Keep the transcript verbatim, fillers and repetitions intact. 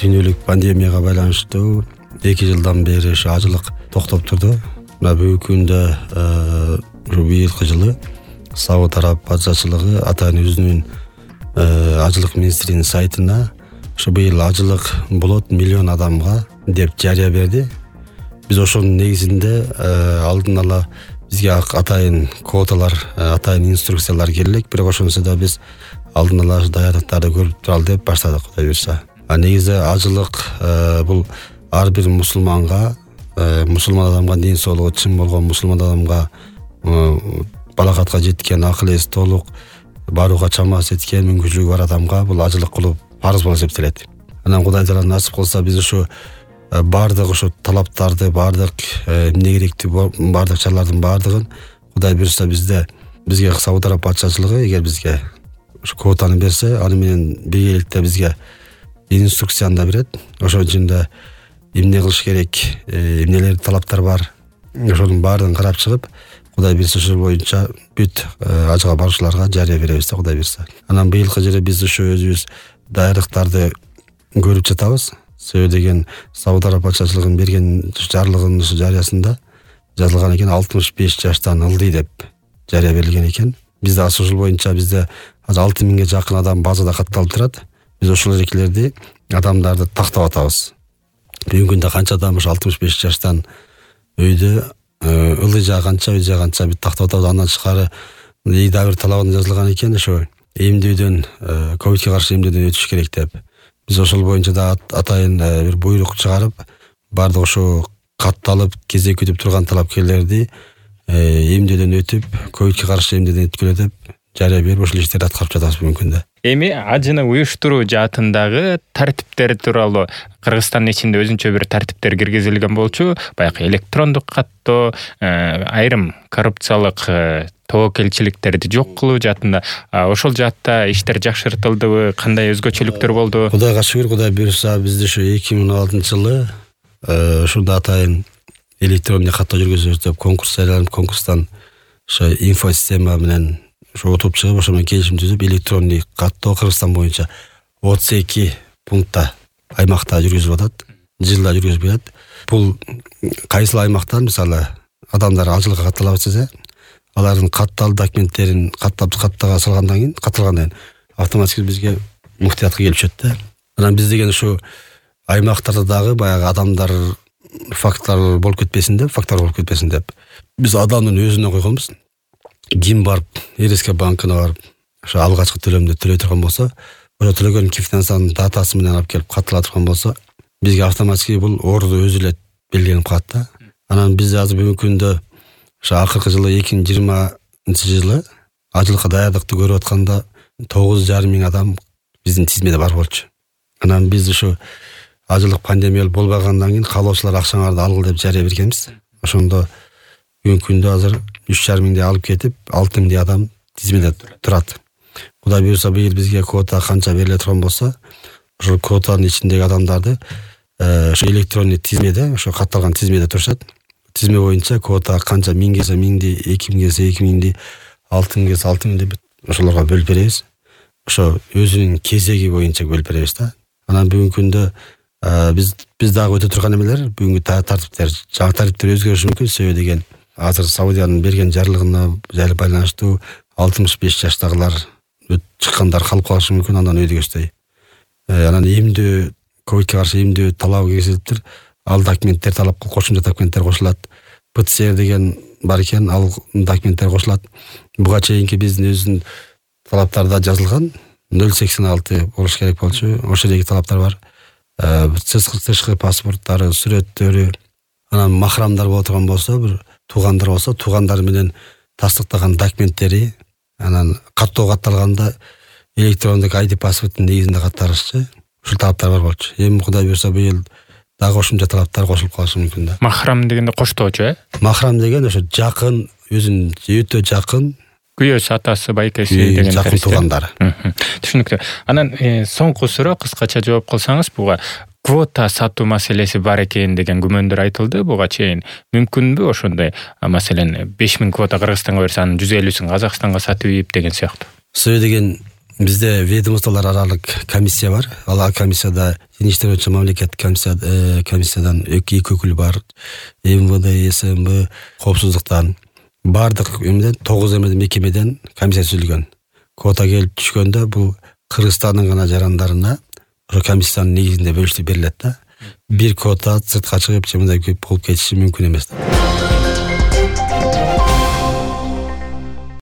дүйнөлүк пандемияга байланыштуу эки жылдан бери ушу ажылык токтоп турду. Мына бүгүнкү күндө ушу быйылкы жылы Сауд Араб патшачылыгы атайын өзүнүн ажылык министринин сайтына ушу быйыл ажылык болот миллион адамга деп жарыя берди. Биз ошонун негизинде алдын ала бизге атайын квоталар, атайын инструкциялар келек, бирок ошонусу да биз алдын ала даярдыктарды көрүп туралы деп баштадык, Кудай буйрса. А негизи ажылык бул ар бир мусулманга, мусулман адамга дин соолугу чын болгон мусулман адамга балакатка жеткен, акыл эси толук, барууга чамасы жеткен, мүмкүнчүлүгү бар адамга бул ажылык кылуу парыз болуп эсептелет. Анан Кудай таала насип кылса биз ушу бардык ушу талаптарды, бардык эмне керектүү, бардык чаралардын бардыгын Кудай буйрса бизде бизге Сауд Араб патшачылыгы эгер бизге ушу квотаны берсе, аны менен биргеликте бизге инструкцияны да берет. Ошон ичинде эмне кылыш керек, эмнелер талаптар бар, ошонун баардыгын карап чыгып, Кудай буйрса ошол боюнча бүт ажга баруучуларга жарыя беребиз да, Кудай буйрса. Анан быйылкы жылы биз ушу өзүбүз даярдыктарды көрүп жатабыз. Себеби деген Сауд Араб патшачылыгынын берген жарлыгынын жарыясында жазылган экен, алтымыш беш жаштан ылдый деп жарыя берилген экен. Бизде ошол боюнча бизде азыр алты миңге жакын адам базада катталып турат. Биз ошол эркелерди, адамдарды тактап атабыз. Бүгүнкү күндө канча адам ушу алтымыш беш жаштан өйдө ылдый жагы канча, өй жагы канча биз тактап атабыз. Андан тышкары дагы бир талабында жазылган экен, ошо эмдөөдөн, ковидке каршы эмдөөдөн өтүш керек деп. Биз ошол боюнча да атайын бир буйрук чыгарып, бардык ошо катталып, кезек күтүп турган талапкерлерди эмдөөдөн өтүп, ковидке каршы эмдөөдөн өткүлө деп жарыя берип, ошол иштерди аткарып жатабыз бүгүнкү күндө. Эми ажыны уюштуруу жаатындагы тартиптер тууралуу Кыргызстандын ичинде өзүнчө бир тартиптер киргизилген болчу. Баягы электрондук каттоо, айрым коррупциялык тобокелчиликтерди жок кылуу жаатында ошол жаатта иштер жакшыртылдыбы, кандай өзгөчөлүктөр болду? Кудайга шүгүр, Кудай буйрса бизде ушу эки миң он алтынчы жылы ушунда атайын электрондук каттоо жүргүзөбүз деп конкурс жарыяланып, конкурстан ошо инфосистема менен ошо отуп чыгып, ошо менен келишим түзүп, электрондук каттоо Кыргызстан боюнча отуз эки пунктта аймакта жүргүзүлүп атат, жылда жүргүзүлүп жатат. Бул кайсыл аймактан мисалы адамдар ажылыкка каттала баштаса, алардын каттал документтерин каттап каттага салгандан кийин, катталгандан кийин автоматически бизге муфтиятка келип түшөт да. Анан биз деген ушу аймактарда дагы баягы адамдар факттар болуп кетпесин деп, фактор болуп кетпесин деп, биз адамдын өзүнө койгонбуз. Ким барып, РСК банкына барып, ошо алгачкы төлөмдү төлөй турган болсо, ошо төлөгөн финансанын датасы менен алып келип каттала турган болсо, бизге автоматически бул орду өзү эле белгиленип калат да. Анан биз азыр бүгүнкү күндө ошо акыркы жылы эки миң жыйырманчы жылы ажылыкка даярдыкты көрүп атканда тогуз жарым миң адам биздин тизмеде бар болчу. Анан биз ушу ажылык пандемия болбагандан кийин каалоочулар акчаңарды алгыл деп жарыя бергенбиз. Ошондо бүгүнкү күндө азыр үч жарым миңди алып кетип, алты миңдей адам тизмеде турат. Кудай буйрса быйыл бизге квота канча бериле турган болсо, ошол квотанын ичиндеги адамдарды ошо электрондук тизмеде, ошо катталган тизмеде турушат. Тизме боюнча квота канча миң келсе миңди, эки миң келсе эки миңди, алты миң келсе алты миңди ошолорго бөлүп беребиз. Ошо өзүнүн кезеги боюнча бөлүп беребиз да. Анан бүгүнкү күндө биз биз дагы өтө турган эмелер, бүгүнкү тартиптер, жаңы тартиптер өзгөрүшү мүмкүн. Себеби деген азыр Саудиянын берген жарлыгына жайлы байланыштуу алтымыш беш жаштагылар чыккандар калып калышы мүмкүн, андан өйдөгөсдөй. Анан эмдөө, ковидке каршы эмдөө талабы кесилиптир. Ал документтер талап кошумча документтер кошулат. ПЦР деген бар экен, ал документтер кошулат. Буга чейинки биздин өзүнүн талаптарда жазылган нөл сексен алты болуш керек болчу. Ошол эки талаптар бар. Тышкы паспорттары, сүрөттөрү, анан махрамдар боло турган болсо, бир туугандар болсо, туугандар менен тастыктаган документтери, анан каттоо катталганда электрондук ай ди паспорттун негизинде катталышчы. Ушул талаптар бар болчу. Эми Кудай буйрса быйыл дагы кошумча талаптар кошулуп калышы мүмкүн да. Махрам дегенде коштоочу, э? Махрам деген ошо жакын, өзүнүн өтө жакын күйөөсү, атасы, байкеси деген жакын туугандары. Түшүнүктүү. Анан соңку суроо кыскача жооп кылсаңыз, буга квота сатуу маселеси бар экен деген күмөндөр айтылды буга чейин. Мүмкүнбү ошондой, маселен беш миң квота Кыргызстанга берсе, анын жүз элүүсүн Казакстанга сатып ийип деген сыяктуу? Себеби деген бизде ведомстволор аралык комиссия бар. Ал комиссияда Дин иштер боюнча мамлекеттик комиссия комиссиядан эки өкүл бар. эм вэ дэ, эс эм бэ, коопсуздуктан бардык эмеден тогуз эмеден мекемеден комиссия түзүлгөн. Квота келип түшкөндө бул Кыргызстандын гана жарандарына ошо комиссиянын негизинде бөлүштүрүп берилет да. Бир квота сыртка чыгып же мындай көп болуп кетиши мүмкүн эмес.